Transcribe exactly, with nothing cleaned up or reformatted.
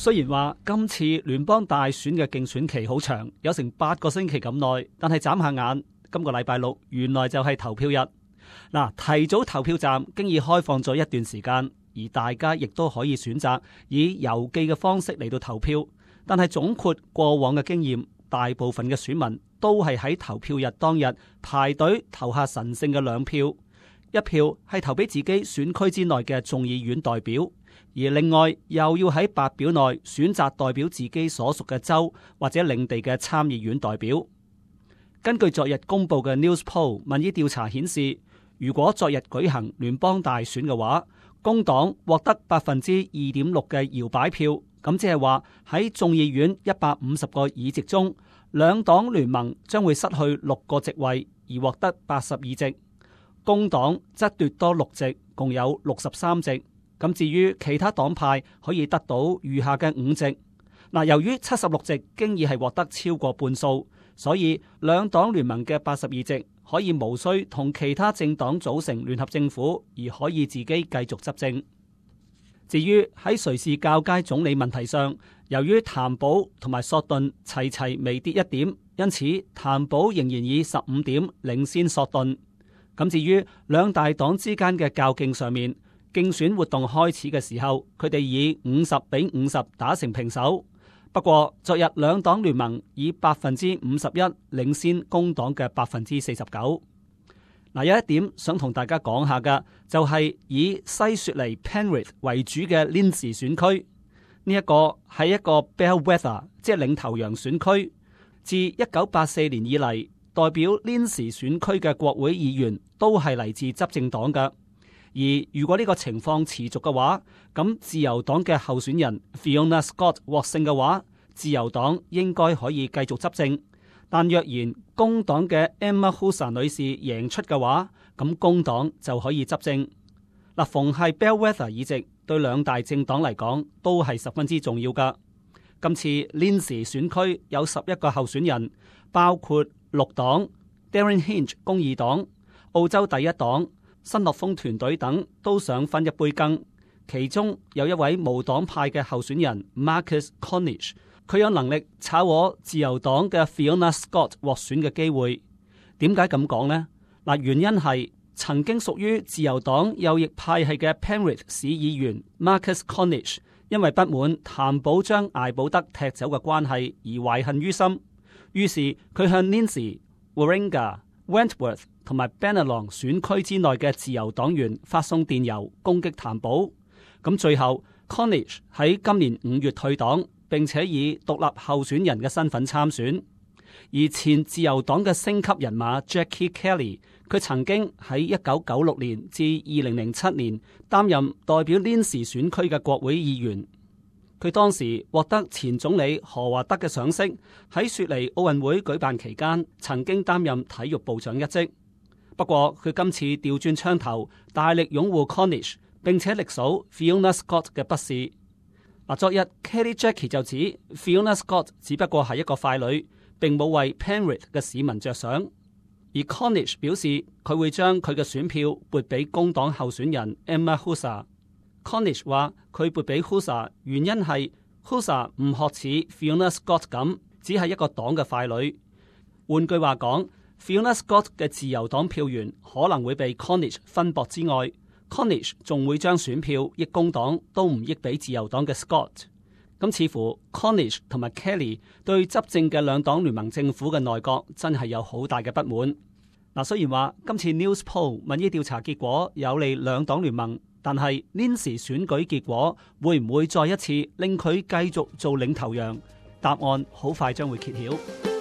雖然話今次聯邦大選嘅競選期好長，有成八個星期咁耐，但係眨下眼，今個禮拜六原來就係投票日。嗱，提早投票站經已開放咗一段時間，而大家亦都可以選擇以郵寄嘅方式嚟到投票。但係總括過往嘅經驗，大部分嘅選民都係喺投票日當日排隊投下神聖嘅兩票，一票係投俾自己選區之內嘅眾議院代表，而另外又要喺白表內選擇代表自己所屬嘅州或者領地嘅參議院代表。根據昨日公布嘅 Newspoll 民意調查顯示，如果昨日舉行聯邦大選嘅話，工黨獲得百分之二點六嘅搖擺票，咁即係話喺眾議院一百五十個議席中，兩黨聯盟將會失去六個席位，而獲得八十二席。工黨則奪多六席，共有六十三席。咁至於其他黨派可以得到餘下嘅五席。嗱，由於七十六席經已係獲得超過半數，所以兩黨聯盟嘅八十二席可以無需同其他政黨組成聯合政府，而可以自己繼續執政。至於喺誰是較佳總理問題上，由於譚寶同埋索頓齊齊微跌一點，因此譚寶仍然以十五點領先索頓。咁至於兩大黨之間嘅較勁上面，競選活動開始嘅時候，佢哋以五十比五十打成平手。不過昨日兩黨聯盟以百分之五十一領先工黨嘅百分之四十九。嗱，有一點想同大家講下嘅，就係以西雪梨 Penrith 為主嘅 Lindsay 選區，呢一個係一個 Bellwether， 即係領頭羊選區。自一九八四年以嚟，代表 Lindsay 選區嘅國會議員都係嚟自執政黨嘅。而如果呢個情況持續嘅話，咁自由黨嘅候選人 Fiona Scott 獲勝嘅話，自由黨應該可以繼續執政。但若然工黨嘅 Emma Husar 女士贏出嘅話，咁工黨就可以執政。嗱，逢係 Bellwether 議席對兩大政黨嚟講都係十分之重要噶。今次 Lindsay 選區有十一個候選人，包括綠黨、Darren Hinch 公義黨、澳洲第一黨、新樂豐團隊等都想分一杯羹。其中有一位無黨派嘅候選人 Marcus Cornish， 佢有能力炒和自由黨嘅 Fiona Scott 獲選嘅機會。點解咁講呢？嗱，原因係曾經屬於自由黨右翼派系嘅 Penrith 市議員 Marcus Cornish， 因為不滿譚寶將艾寶德踢走嘅關係而懷恨於心，於是佢向 Lindsay、Warringah、Wentworth 同埋 Bennelong 選區之內嘅自由黨員發送電郵攻擊譚寶。咁最後 Cornish 喺今年五月退黨，並且以獨立候選人嘅身份參選。而前自由黨嘅星級人馬 Jackie Kelly， 佢曾經喺一九九六年至二零零七年擔任代表 Lindsay 選區嘅國會議員。佢當時獲得前總理何華德嘅賞識，喺雪梨奧運會舉辦期間曾經擔任體育部長一職。不過佢今次調轉槍頭，大力擁護 Cornish， 並且力數 Fiona Scott 嘅不是。嗱，昨日 Kelly Jackie 就指 Fiona Scott 只不過係一個傀儡，並冇為 Penrith 嘅市民着想。而 Cornish 表示佢會將佢嘅選票撥俾工黨候選人 Emma Husar。Cornish 話佢撥俾 Husar 原因係 Husar 唔學似 Fiona Scott 咁，只係一個黨嘅傀儡。換句話講，Fiona Scott 嘅自由黨票源可能會被 Cornish 分薄之外， Cornish 仲會將選票益工黨都唔益俾自由黨嘅 Scott。咁似乎 Cornish 同埋 Kelly 對執政嘅兩黨聯盟政府嘅內閣真係有好大嘅不滿。嗱，雖然話今次 Newspoll 民意調查結果有利兩黨聯盟，但係 Lindsay 選舉結果會唔會再一次令佢繼續做領頭羊？答案好快將會揭曉。